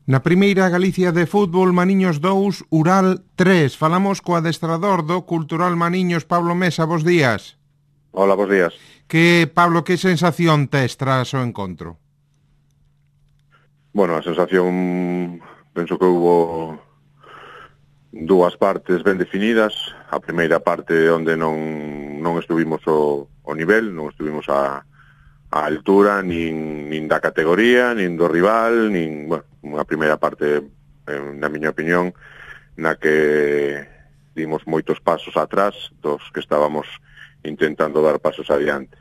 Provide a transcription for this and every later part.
Na primeira Galicia de fútbol, Maniños 2, Ural 3. Falamos co adestrador do Cultural Maniños, Pablo Mesa. Bos días. Hola, bos días. Pablo, que sensación tes tras o encontro? Bueno, a sensación, penso que hubo dúas partes ben definidas. A primeira parte onde non estuvimos o nivel, non estuvimos a altura nin da categoría, nin do rival, bueno, unha primeira parte, na miña opinión, na que dimos moitos pasos atrás dos que estábamos intentando dar pasos adiante.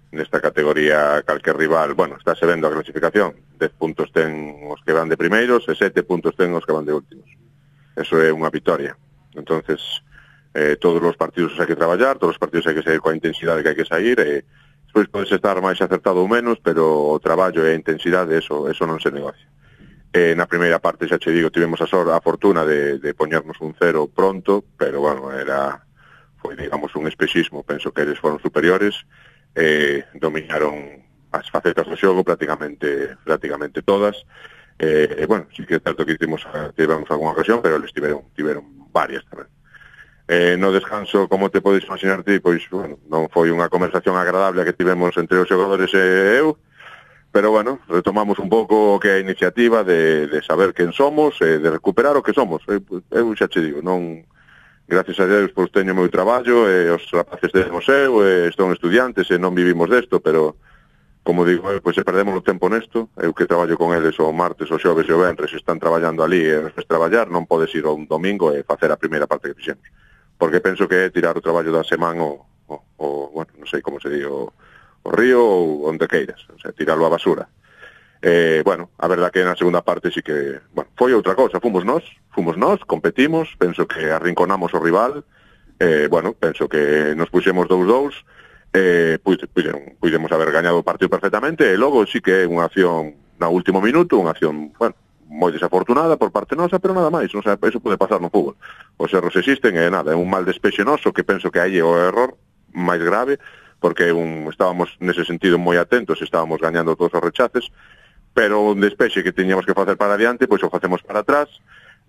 Nesta categoría, calquer rival, bueno, estáse vendo a clasificación, 10 puntos ten os que van de primeiros e 7 puntos ten os que van de últimos. Eso é unha vitoria. Entonces, todos os partidos hai que traballar, todos os partidos hai que sair coa intensidade que hai que sair, despois podes estar máis acertado ou menos, pero o traballo e a intensidade, eso non se negocia. Na primeira parte, xa che digo, tivemos a fortuna de poñernos un 0 pronto, pero, bueno, foi, digamos, un espexismo. Penso que eles foron superiores, dominaron as facetas do xogo prácticamente todas. Bueno, sí que é certo que tivemos algunha ocasión, pero eles tiveron varias tamén. No descanso, como te podes imaginar ti, pois, bueno, non foi unha conversación agradable que tivemos entre os xogadores e eu, pero, bueno, retomamos un pouco o que é a iniciativa de saber quen somos, de recuperar o que somos. Eu xa che digo, non, gracias a Deus, pois teño meu traballo, os rapaces de museo, son estudiantes e non vivimos desto, pero, como digo, pois se perdemos o tempo nesto, eu que traballo con eles o martes, o xoves e o venres, están traballando ali e despois traballar, non podes ir un domingo e facer a primeira parte que fixemos, porque penso que é tirar o traballo da semana bueno, non sei como se di, o río ou onde queiras, o sea, tirarlo á basura. Bueno, a verdad que na segunda parte sí que, bueno, foi outra cousa, fomos nós, competimos, penso que arrinconamos o rival, bueno, penso que nos puxemos 2-2, pudemos haber gañado o partido perfectamente, e logo sí que é unha acción na último minuto, unha acción, bueno, moi desafortunada por parte nosa, pero nada máis, o sea, eso pode pasar no fútbol. Os erros existen e nada, é un mal despexe noso que penso que aí é o error máis grave, porque estábamos nese sentido moi atentos, estábamos gañando todos os rechaces, pero un despexe que teñamos que facer para adiante, pois o facemos para atrás,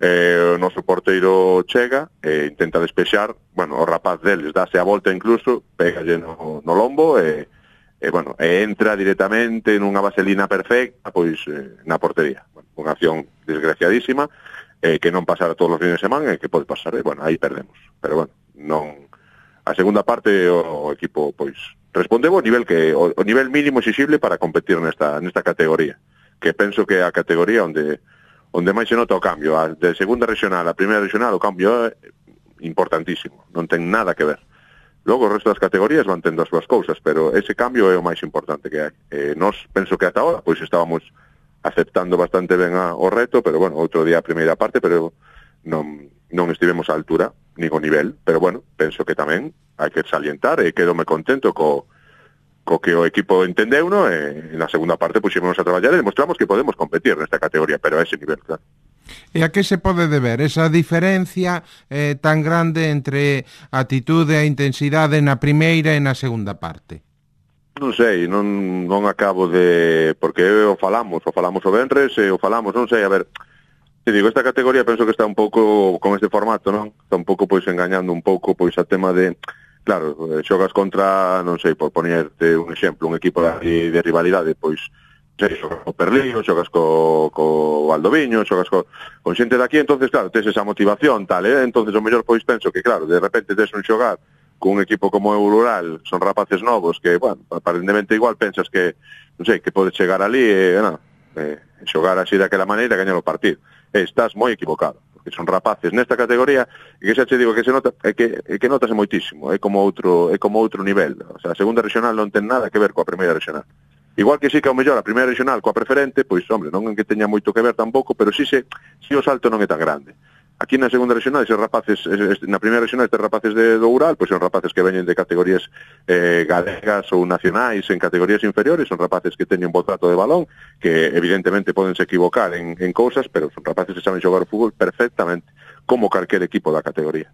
o noso porteiro chega e intenta despexar, bueno, o rapaz deles dáse a volta incluso, pégalle no lombo bueno, entra directamente nunha vaselina perfecta, pois na portería. Bueno, unha acción desgraciadísima, que non pasara todos os fines de semana e que pode pasar, bueno, aí perdemos. Pero bueno, non. A segunda parte o equipo pois respondeu o nivel mínimo exixible para competir nesta categoría, que penso que é a categoría onde máis se nota o cambio. De segunda regional a primeira regional o cambio é importantísimo, non ten nada que ver. Logo o resto das categorías van tendo as súas cousas, pero ese cambio é o máis importante que hai. Nós penso que ata agora pois estábamos aceptando bastante ben o reto, pero bueno, outro día a primeira parte, pero non estivemos á altura, nin o nivel, pero bueno, penso que tamén hai que salientar e quedome contento co que o equipo entendeu, no? E na segunda parte puxémonos a traballar e demostramos que podemos competir nesta categoría, pero a ese nivel, claro. E a que se pode deber esa diferencia tan grande entre a atitude e a intensidade na primeira e na segunda parte? Non sei, non acabo de... Porque o falamos o venres e o falamos, non sei, a ver... Te digo, esta categoría penso que está un pouco con este formato, non? Está un pouco pois engañando un pouco pois a tema de... Claro, xogas contra, non sei, por ponerte un exemplo, un equipo de rivalidade, pois, sei, xogas co Perlío, xogas co Valdoviño, xogas con xente daqui, entonces, claro, tes esa motivación, tal, entonces o mellor, pois, penso que, claro, de repente tes un xogar con un equipo como o Rural, son rapaces novos que, bueno, aparentemente igual pensas que, non sei, que podes chegar ali e, xogar así daquela maneira e gañar o partido. Estás moi equivocado, porque son rapaces nesta categoría e que xa che digo que se nota, que notase moitísimo, é como outro nivel. O sea, a segunda regional non ten nada que ver coa primeira regional. Igual que sí que ao mellor a primeira regional coa preferente, pois, hombre, non é que teña moito que ver tampouco, pero sí o salto non é tan grande. Aquí na segunda regional, eses rapaces, na primeira regional, estes rapaces do Ural, pois son rapaces que veñen de categorías galegas ou nacionais en categorías inferiores, son rapaces que teñen bo trato de balón, que evidentemente podense equivocar en cousas, pero son rapaces que saben xogar o fútbol perfectamente, como calquer equipo da categoría.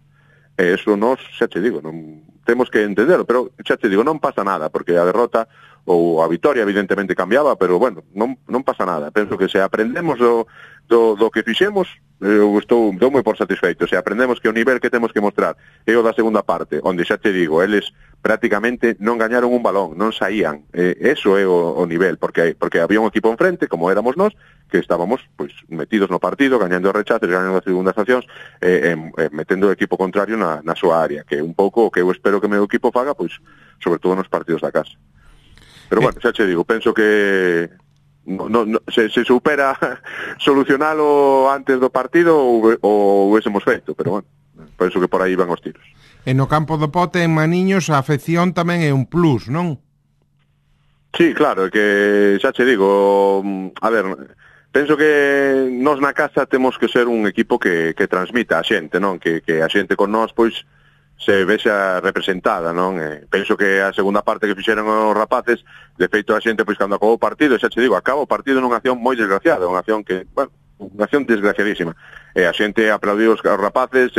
Eso nos, xa te digo, non temos que entenderlo, pero xa te digo, non pasa nada, porque a derrota ou a vitoria evidentemente cambiaba, pero bueno, non pasa nada. Penso que se aprendemos do que fixemos, eu estou moi por satisfeito. Se aprendemos que o nivel que temos que mostrar é o da segunda parte, onde xa te digo, eles prácticamente non gañaron un balón, non saían. Eso é o nivel, porque había un equipo enfrente, como éramos nós, que estábamos pois metidos no partido, gañando rechaces, gañando as segundas accións, metendo o equipo contrario na súa área, que é un pouco o que eu espero que o meu equipo faga, pois sobre todo nos partidos da casa. Pero bueno, xa te digo, penso que se supera solucionalo antes do partido ou huésemos feito, pero bueno, penso que por aí van os tiros. E no campo do Pote, en Maniños, a afección tamén é un plus, non? Sí, claro, que xa te digo, a ver, penso que nós na casa temos que ser un equipo que transmita a xente, non? Que a xente con nós, pois, se vexa representada, non? Penso que a segunda parte que fixeron os rapaces, de feito a xente, pois, cando acabou o partido, xa te digo, acaba o partido nunha acción moi desgraciada, unha acción que, bueno, unha acción desgraciadísima. A xente aplaudiu os rapaces,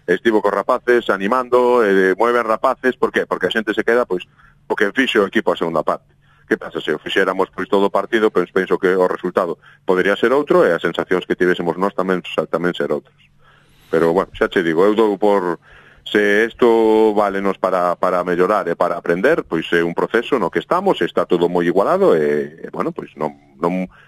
estivo cos rapaces, animando, moi ben rapaces, por qué? Porque a xente se queda, pois, o que fixo o equipo a segunda parte. Que pasa, se o fixéramos, pois, todo o partido, pois, penso que o resultado podería ser outro, e as sensacións que tivésemos nós tamén ser outros. Pero, bueno, xa te digo, eu dou por... Se isto válenos para mellorar e para aprender, pois é un proceso no que estamos, está todo moi igualado e bueno, pois non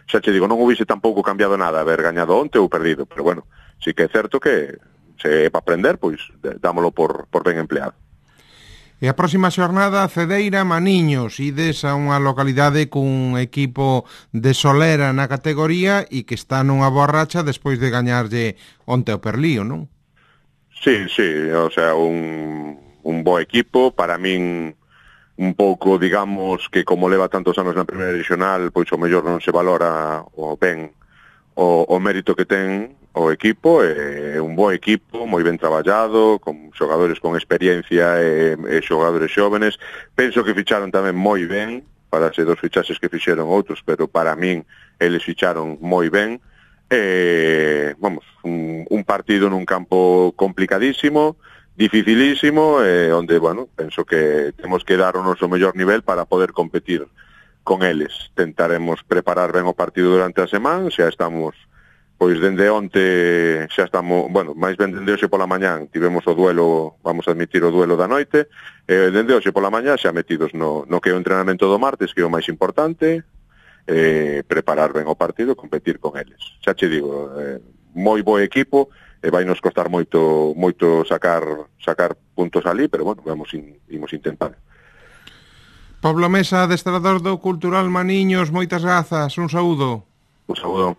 xa te digo, non hubiese tampouco cambiado nada haber gañado onte ou perdido, pero bueno, sí que é certo que se é para aprender, pois dámolo por ben empleado. E a próxima xornada, Cedeira, Maniños, ides a unha localidade cun equipo de solera na categoría e que está nunha boa racha despois de gañarlle onte o Perlío, non? Sí, o sea, un bo equipo, para min un pouco, digamos, que como leva tantos anos na primeira regional, pois o mellor non se valora o ben o mérito que ten o equipo, é un bo equipo, moi ben traballado, con xogadores con experiencia e xogadores xóvenes. Penso que ficharon tamén moi ben, para ser dos fichaxes que fixeron outros, pero para min eles ficharon moi ben. Vamos, un partido nun campo complicadísimo, dificilísimo, onde, bueno, penso que temos que dar o noso mellor nivel para poder competir con eles. Tentaremos preparar ben o partido durante a semana, xa estamos, pois dende onte xa estamos, bueno, máis ben dende hoxe pola mañán tivemos o duelo, vamos a admitir o duelo da noite, dende hoxe pola mañán xa metidos no que é o entrenamento do martes, que é o máis importante, preparar ben o partido e competir con eles. Xa che digo, moi bo equipo, e vai nos costar moito sacar puntos ali, pero bueno, imos intentar. Pablo Mesa, adestrador do Cultural Maniños, moitas grazas, un saúdo. Un saúdo.